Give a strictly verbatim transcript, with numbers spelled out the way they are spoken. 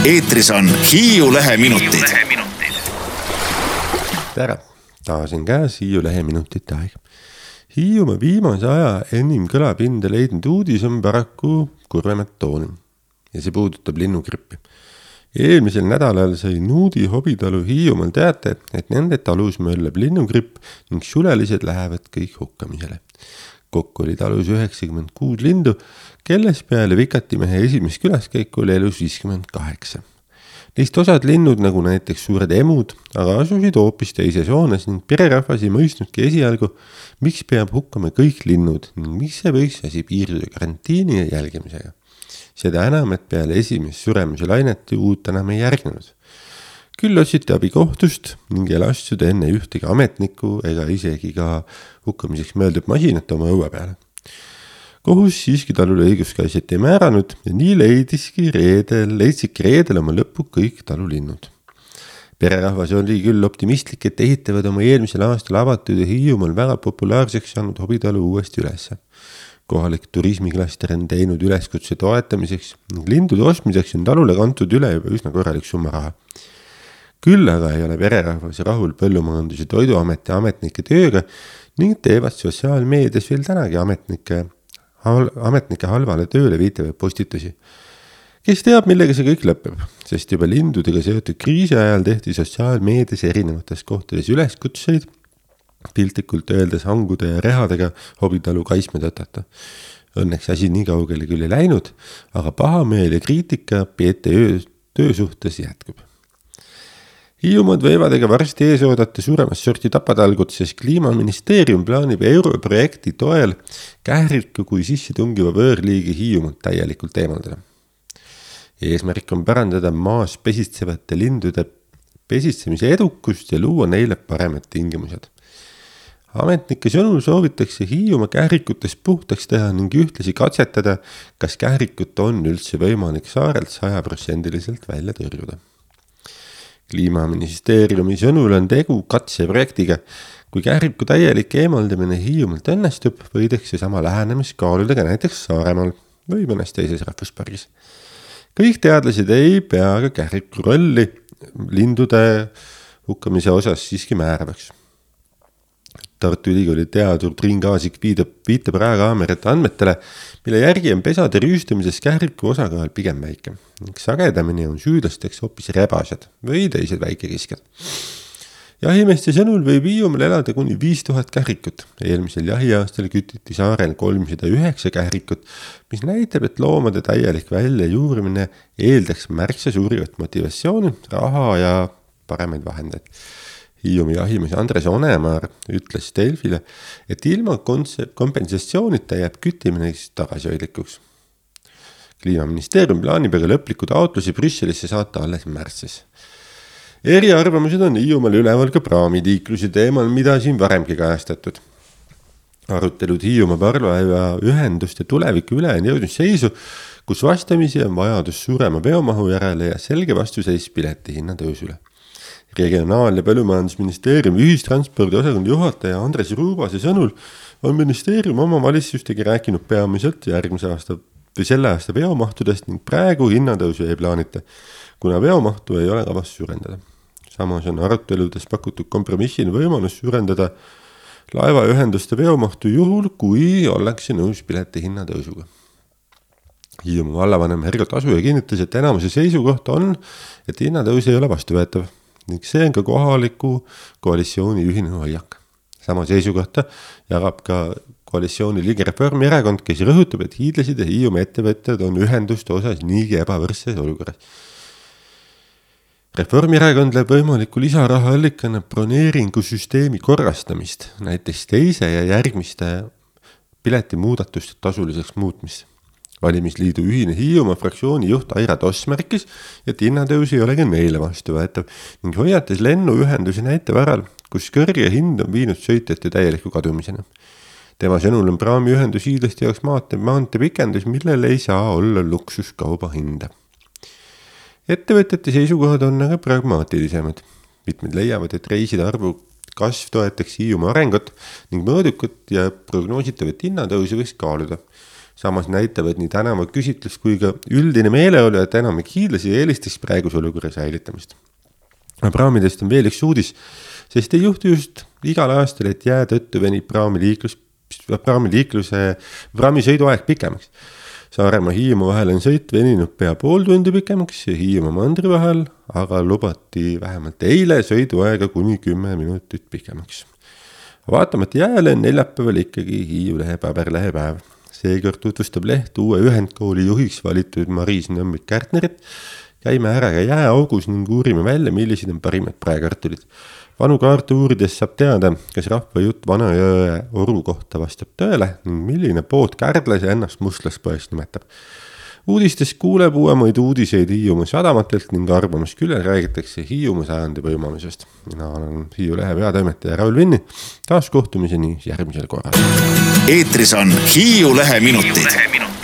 eetris on Hiiu Leheminutid. Tere, taas on käes Hiiu Leheminutite aeg. Hiiumaa viimase aja enim kõlapinda leidnud uudis on paraku kurvemat tooni ja see puudutab linnugrippi. Eelmisel nädalal sai Nuudi hobitalu Hiiumaal teate, et nende talus möllab linnugripp ning sulelised lähevad kõik hukkamisele. Kokku oli talus üheksakümmend kuus lindu, kelles peale Vikatimehe esimest külaskäiku oli elus viiskümmend kaheksa. Neist osad linnud, nagu näiteks suured emud, aga asusid hoopis teises hoones ning pererahvas ei mõistnudki esialgu, miks peab hukkama kõik linnud ning miks see võiks asi piirduda karantiini ja jälgimisega. Seda enam, et peale esimest suremise lainet uut enam ei järgnenud. Küll otsiti abi kohtust ning ei lastud enne ühtegi ametnikku ega isegi ka hukkamiseks mõeldud masinat oma õue peale. Kohus siiski talule õiguskaitset ei määranud ja nii leidiski reedel, leidsidki reedel oma lõppu kõik talulinnud. Pererahvas oli küll optimistlik, et ehitavad oma eelmisel aastal avatud ja Hiiumaal väga populaarseks saanud hobitalu uuesti ülesse. Kohalik turismiklaster on teinud üleskutse toetamiseks ning lindude ostmiseks on talule kantud üle juba üsna korralik summa raha. Küll aga ei ole pererahvas rahul Põllumajandus- ja Toiduameti ametnike tööga ning teevad sotsiaalmeedias veel tänagi ametnike, ametnike halvale tööle viitavaid postitusi. Kes teab, millega see kõik lõpeb, sest juba lindudega seotud kriisi ajal tehti sotsiaalmeedias erinevates kohtades üleskutseid, piltlikult öeldes hangude ja rehadega hobitalu kaisme tõtata. Õnneks asi nii kaugele küll ei läinud, aga pahameel ja kriitika P T Ö töö suhtes jätkub. Hiiumaad võivad ega varsti ees oodata suuremast sorti tapatalgut, sest Kliimaministeerium plaanib europrojekti toel kähriku kui sisse tungiva võõrliigi Hiiumaad täielikult eemaldada. Eesmärk on parandada maas pesitsevate lindude pesitsemise edukust ja luua neile paremad tingimused. Ametnike sõnul soovitakse Hiiumaa kährikutest puhtaks teha ning ühtlasi katsetada, kas kährikut on üldse võimalik saarelt saja protsendiliselt välja tõrjuda. Kliimaministeeriumi sõnul on tegu katseprojektiga. Kui kähriku täielik eemaldamine Hiiumaalt õnnestub, võidakse sama lähenemist kaaluda ka näiteks Saaremaal või mõnes teises rahvuspargis. Kõik teadlased ei pea ka kähriku rolli lindude hukkamise osas siiski määravaks. Tartu Ülikooli teadur Triin Kaasik viitab, viitab rajakaamerate andmetele, mille järgi on pesade rüüstamises kähriku osakaal pigem väike. Sagedamini on süüdlasteks hoopis rebased või teised väikerisked. Jahimeeste sõnul võib Hiiumaal elada kuni viis tuhat kährikut. Eelmisel jahiaastal kütiti saarel kolmsada üheksa kährikut, mis näitab, et loomade täielik välja juurimine eeldaks märksa suurivat motivatsiooni, raha ja paremaid vahendeid. Hiiumaa jahimees Andres Onemaar ütles Delfile, et ilma kompensatsioonita jääb küttimine tagasihoidlikuks. Kliimaministeerium plaanib aga lõpliku taotlusi Brüsselisse saata alles märtsis. Eriarvamused on Hiiumaal üleval ka praamitiikluse teemal, mida siin varemgi kajastatud. Arutelud Hiiumaa parvlaeva ühenduste tuleviku üle on jõudnud seisu, kus vastamisi on vajadus suurema veomahu järele ja selge vastuseis pileti hinna tõusule. Regionaal- ja Põllumajandusministeeriumi ühistranspordi osakonna juhataja Andres Ruubase sõnul on ministeerium oma valitsustega rääkinud peamiselt järgmise aasta või selle aasta veomahtudest ning praegu hinnatõusu ei plaanita, kuna veomahtu ei ole kavas suurendada. Samas on aruteludes pakutud kompromissina võimalus suurendada laevaühenduste veomahtu juhul, kui ollakse nõus pileti hinnatõusuga. Hiiumaa vallavanem Hergo Tasuja kinnitas, et enamuse seisukoht on, et hinnatõus ei ole vastuvõetav ning see on ka kohaliku koalitsiooni ühine hoiak. Sama seisukohta jagab ka koalitsiooni liige Reformierakond, kes rõhutab, et hiidlased ja Hiiumaa ettevõtjad on ühenduste osas niigi ebavõrdses olukorras. Reformierakond läheb võimaliku lisaraha allikana broneeringusüsteemi korrastamist, näiteks teise ja järgmiste piletimuudatuste tasuliseks muutmist. Valimisliidu ühine Hiiumaa fraktsiooni juht Aira Toss märkis, et hinnatõus ei ole ka neile vastuvõetav ning hoiatas lennuühenduse näite varal, kus kõrge hind on viinud sõitjate täieliku kadumisena. Tema sõnul on praamiühendus hiidlaste jaoks maante, maante pikendus, millel ei saa olla luksuskauba hinda. Ettevõtjate seisukohad on aga pragmaatilisemad. Mitmed leiavad, et reiside arvu kasv toetaks Hiiumaa arengut ning mõõdukut ja prognoositavat hinnatõusu võiks kaaluda. Samas näitavad nii tänava küsitlus kui ka üldine meeleolu, et enamik hiidlasi eelistaks praeguse olukorra säilitamist. Praamidest on veel üks uudis, sest ei juhtu just igal aastal, et jää tõttu venib praamiliiklus, praamiliikluse praamisõiduaeg pikemaks. Saaremaa Hiiumaa vahel on sõit veninud pea pool tundi pikemaks ja Hiiumaa mandri vahel, aga lubati vähemalt eile sõiduaega kuni kümme minutit pikemaks. Vaatamata jääle on neljapäeval ikkagi Hiiulehe paberlehe päev. Seekord tutvustab leht uue ühendkooli juhiks valitud Mariis Nõmmik-Kärtnerit. Käime ära ka jääaugus ning uurime välja, millised on parimad praekartulid. Vanu kaarte uurides saab teada, kas rahva jutt Vanajõe oru kohta vastab tõele ning milline pood kärdlas ja ennast mustlaspoest nimetab. Uudistes kuuleb uuemaid uudiseid Hiiumaa sadamatelt ning arvamus küll räägitakse Hiiumaa sajandi võimamisest. Mina olen Hiiulehe peatoimetaja Raul Vinni. Taas kohtumiseni järgmisel korral. Eetris on Hiiulehe minutid.